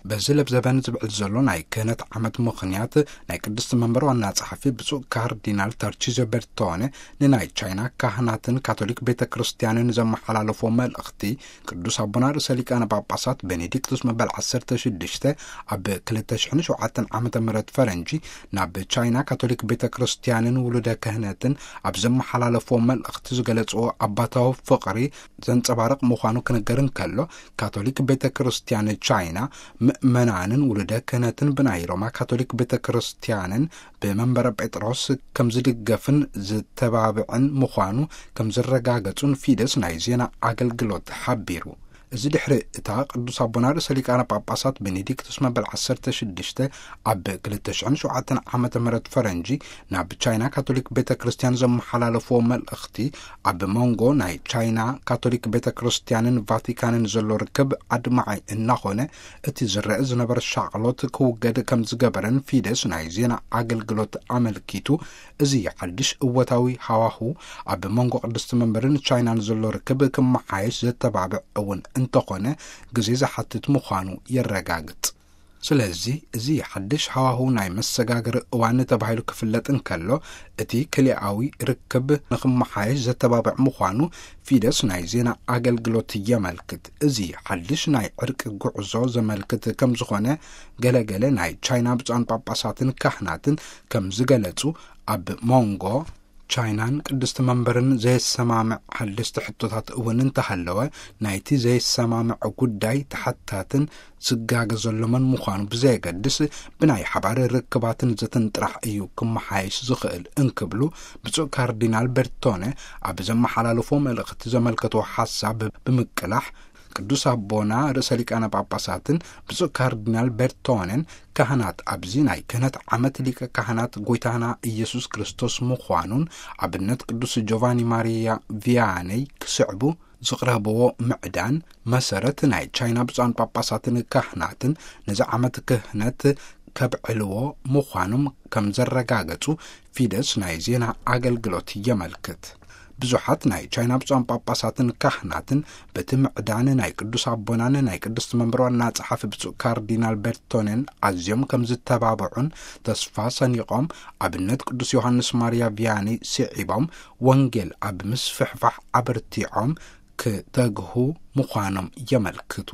በዚ ለብዘበን ዝብዕል ዘሎ ናይ ክህነት ዓመት ምኽንያት፣ ናይ ቅድስቲ መንበር ዋና ጸሓፊ ብፁዕ ካርዲናል ታርቺዞ በርቶነ ንናይ ቻይና ካህናትን ካቶሊክ ቤተ ክርስቲያንን ዘመሓላለፎ መልእኽቲ፣ ቅዱስ ኣቦና ርእሰ ሊቃነ ጳጳሳት ቤኔዲክቱስ መበል ዓሰርተ ሽዱሽተ ኣብ ክልተ ሽሕን ሸውዓተን ዓመተ ምህረት ፈረንጂ ናብ ቻይና ካቶሊክ ቤተ ክርስቲያንን ውሉደ ክህነትን ኣብ ዘመሓላለፎ መልእኽቲ ዝገለጽዎ ኣባታዊ ፍቕሪ ዘንጸባርቕ ምዃኑ ክንገር እንከሎ፣ ካቶሊክ ቤተ ክርስቲያን ቻይና ምእመናንን ውሉደ ክህነትን ብናይ ሮማ ካቶሊክ ቤተ ክርስቲያንን ብመንበረ ጴጥሮስ ከም ዝድገፍን ዝተባብዕን ምዃኑ ከም ዝረጋገጹን ፊደስ ናይ ዜና ኣገልግሎት ሓቢሩ። እዚ ድሕሪ እታ ቅዱስ ኣቦና ርእሰ ሊቃነ ጳጳሳት ቤኔዲክቱስ መበል ዓሰርተ ሽዱሽተ ኣብ ክልተ ሽሕን ሸውዓተን ዓመተ ምህረት ፈረንጂ ናብ ቻይና ካቶሊክ ቤተ ክርስቲያን ዘመሓላለፍዎ መልእኽቲ፣ ኣብ መንጎ ናይ ቻይና ካቶሊክ ቤተ ክርስቲያንን ቫቲካንን ዘሎ ርክብ ኣድማዒ እናኾነ፣ እቲ ዝረአ ዝነበረ ሻቕሎት ክውገድ ከም ዝገበረን ፊደስ ናይ ዜና ኣገልግሎት ኣመልኪቱ፣ እዚ ሓድሽ እወታዊ ሃዋሁ ኣብ መንጎ ቅድስቲ መንበርን ቻይናን ዘሎ ርክብ ክመሓየሽ ዘተባብዕ እውን እንተኾነ፣ ግዜ ዝሓትት ምዃኑ የረጋግጽ። ስለዚ፣ እዚ ሓድሽ ሃዋሁ ናይ መሰጋገሪ እዋን ተባሂሉ ክፍለጥ እንከሎ፣ እቲ ክልኣዊ ርክብ ንክመሓየሽ ዘተባብዕ ምዃኑ ፊደስ ናይ ዜና ኣገልግሎት የመልክት። እዚ ሓድሽ ናይ ዕርቂ ጉዕዞ ዘመልክት ከም ዝኾነ፣ ገለገለ ናይ ቻይና ብፁዓን ጳጳሳትን ካህናትን ከም ዝገለጹ፣ ኣብ መንጎ ቻይናን ቅድስቲ መንበርን ዘየሰማምዕ ሓደስቲ ሕቶታት እውን እንተሃለወ፣ ናይቲ ዘየሰማምዕ ጉዳይ ተሓታትን ዝጋገ ዘሎ መን ምዃኑ ብዘየገድስ፣ ብናይ ሓባር ርክባትን ዘተን ጥራሕ እዩ ክመሓየሽ ዝኽእል እንክብሉ፣ ብፁዕ ካርዲናል በርቶነ ኣብ ዘመሓላለፎ መልእኽቲ ዘመልከትዎ ሓሳብ ብምቅላሕ፣ ቅዱስ ኣቦና ርእሰ ሊቃነ ጳጳሳትን ብፁዕ ካርዲናል በርቶነን፣ ካህናት ኣብዚ ናይ ክህነት ዓመት ሊቀ ካህናት ጎይታና ኢየሱስ ክርስቶስ ምዃኑን፣ ኣብነት ቅዱስ ጆቫኒ ማሪያ ቪያነይ ክስዕቡ ዝቕረብዎ ምዕዳን፣ መሰረት ናይ ቻይና ብፁዓን ጳጳሳትን ካህናትን ነዚ ዓመት ክህነት ከብዕልዎ ምዃኖም ከም ዘረጋገጹ ፊደስ ናይ ዜና ኣገልግሎት የመልክት። ብዙሓት ናይ ቻይና ብፁዓን ጳጳሳትን ካህናትን በቲ ምዕዳን ናይ ቅዱስ ኣቦናን ናይ ቅድስቲ መንበር ዋና ጸሓፊ ብፁዕ ካርዲናል በርቶኔን ኣዝዮም ከም ዝተባብዑን ተስፋ ሰኒቖም፣ ኣብነት ቅዱስ ዮሃንስ ማርያ ቪያኒ ስዒቦም፣ ወንጌል ኣብ ምስፍሕፋሕ ኣበርቲዖም ክተግሁ ምዃኖም የመልክቱ።